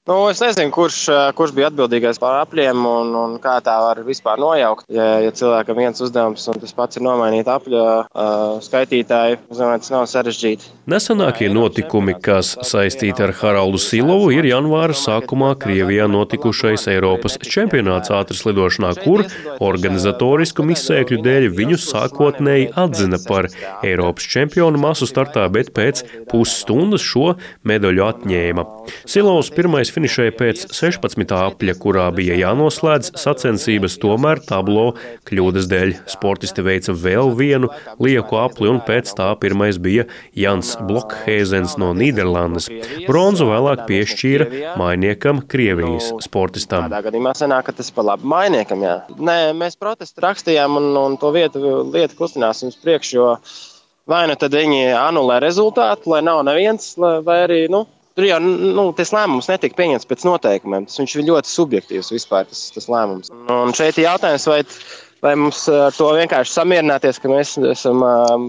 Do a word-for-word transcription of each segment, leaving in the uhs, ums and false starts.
Nu, es nezinu, kurš, kurš bija atbildīgais par apļiem un, un kā tā var vispār nojaukt. Ja, ja cilvēkam viens uzdevums un tas pats ir nomainīt apļu uh, skaitītāju, es domāju, tas nav sarežģīti. Nesenākie notikumi, kas saistīti ar Haraldu Silovu, ir janvāra sākumā Krievijā notikušais Eiropas čempionāts ātrslidošanā, kur organizatorisku izsēkļu dēļ viņu sākotnēji atzina par Eiropas čempionu masu startā, bet pēc pusstundas šo medaļu atņēma. Silovs pirmais finišēja pēc sešpadsmitā apļa, kurā bija jānoslēdz sacensības, tomēr tablo kļūdas dēļ sportisti veica vēl vienu lieku apli, un pēc tā pirmais bija Jans Blokhēzens no Nīderlandes. Bronzu vēlāk piešķīra mainiekam Krievijas sportistam. Tādā gadījumā sanāk, ka tas pa labi mainiekam, jā. Nē, mēs protestu rakstījām un, un to vietu, lietu kustināsim uz priekšu, jo vai nu tad viņi anulē rezultātu, lai nav neviens, vai arī, nu, tur jau nu, tas lēmums netika pieņemts pēc noteikumiem. Tas viņš ir ļoti subjektīvs vispār, tas, tas lēmums. Un šeit ir jautājums, vai, vai mums ar to vienkārši samierināties, ka mēs esam um,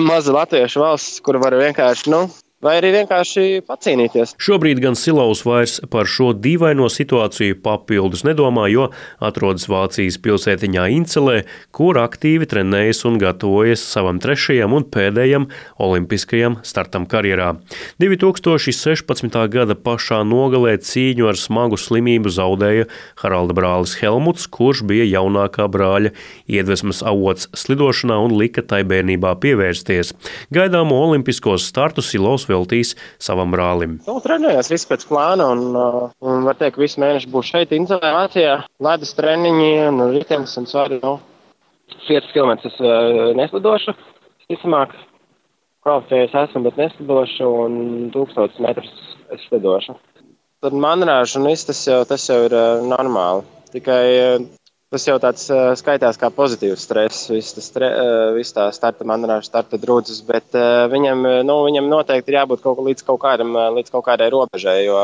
maza latviešu valsts, kur var vienkārši, nu, vai arī vienkārši pacīnīties. Šobrīd gan Silovs vairs par šo dīvaino situāciju papildus nedomā, jo atrodas Vācijas pilsētiņā Incelē, kur aktīvi trenējas un gatavojas savam trešajam un pēdējam olimpiskajam startam karjerā. divi tūkstoši sešpadsmitā gada pašā nogalē cīņu ar smagu slimību zaudēja Haralda brālis Helmuts, kurš bija jaunākā brāļa iedvesmas avots slidošanā un lika tai bērnībā pievērsties. Gaidāmo olimpiskos startus Silovs veltīs savam brālim. Nu, trenējās viss pēc plāna un, un var teikt, ka visu mēnešu būs šeit Incelē, Vācijā. Ledus treniņi un ritenis un svari, nu, piecus kilometrus neslidošu, visticamāk, kvalificējies esmu, bet neslidošu un tūkstotis metrus es slidošu. Tad manrāžu un viss tas jau, tas jau ir normāli. Tikai tas jau tāds skaitās kā pozitīvs stress, viss tas stre, viss tā starta manrāža, starta drudzes, bet viņam, nu, viņam noteikti ir jābūt kaut līdz kaut kādam, līdz kaut kādai robežai, jo,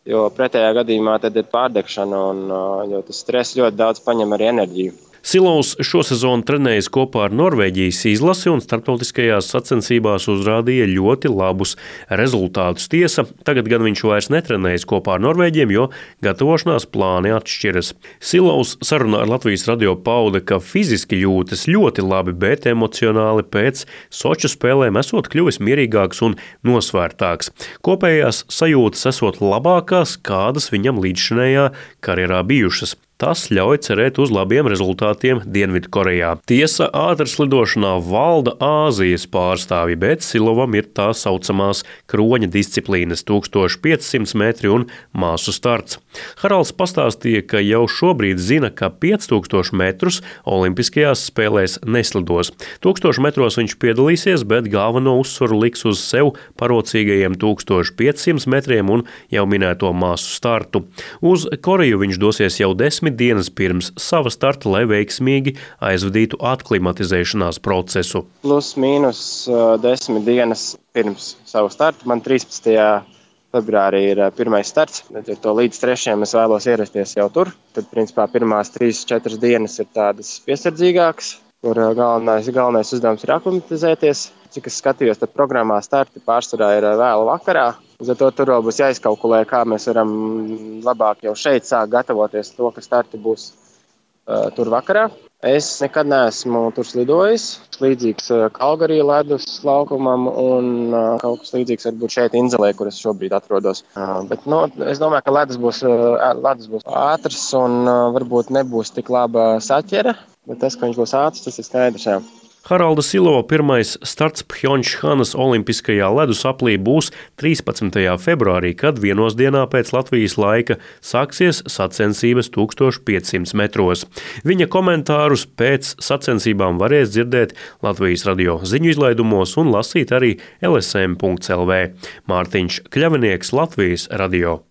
jo pretējā gadījumā tad ir pārdegšana un jo tas stress ļoti daudz paņem arī enerģiju. Silovs šosezon trenējas kopā ar Norvēģijas izlasi un starptautiskajās sacensībās uzrādīja ļoti labus rezultātus. Tiesa, tagad gan viņš vairs netrenējas kopā ar norvēģiem, jo gatavošanās plāni atšķiras. Silovs sarunā ar Latvijas radio pauda, ka fiziski jūtas ļoti labi, bet emocionāli pēc Soču spēlēm esot kļuvis mierīgāks un nosvērtāks. Kopējās sajūtas esot labākās, kādas viņam līdzšinējā karjerā bijušas. Tas ļauj cerēt uz labiem rezultātiem Dienvidkorejā. Tiesa, ātrslidošanā valda Āzijas pārstāvji, bet Silovam ir tā saucamās kroņa disciplīnas tūkstoš piecsimt metri un māsu starts. Haralds pastāstīja, ka jau šobrīd zina, ka pieci tūkstoši metrus olimpiskajās spēlēs neslidos. Tūkstošu metros viņš piedalīsies, bet galveno uzsvaru liks uz sev parocīgajiem tūkstoš piecsimt metriem un jau minēto māsu startu. Uz Koreju viņš dosies jau desmit dienas pirms sava starta, lai veiksmīgi aizvadītu atklimatizēšanās procesu. Plus mīnus uh, desmit dienas pirms savu startu. Man trīspadsmitajā februārī ir uh, pirmais starts. Ar to līdz trešajam es vēlos ierasties jau tur. Tad, principā, pirmās trīs, četras dienas ir tādas piesardzīgākas, kur uh, galvenais, galvenais uzdevums ir aklimatizēties. Cik es skatījos, tad programmā starti pārsvarā ir uh, vēlu vakarā. Uz to tur vēl būs jāizkalkulē, kā mēs varam labāk jau šeit sākt gatavoties to, ka starti būs uh, tur vakarā. Es nekad neesmu tur slidojis. Līdzīgs uh, Kalgarī ledus laukumam un uh, kaut kas līdzīgs varbūt šeit Inzelē, kur es šobrīd atrodos. Uh, bet no, es domāju, ka ledus būs, uh, ledus būs ātrs un uh, varbūt nebūs tik laba saķere, bet tas, ka viņš būs ātrs, tas ir skaidrs. Jā. Haralda Silova pirmais starts Phjončhanas olimpiskajā ledus aplī būs trīspadsmitajā februārī, kad vienos dienā pēc Latvijas laika sāksies sacensības tūkstoš piecsimt metros. Viņa komentārus pēc sacensībām varēs dzirdēt Latvijas radio ziņu izlaidumos un lasīt arī L S M punkts L V. Mārtiņš Kļavinieks, Latvijas radio.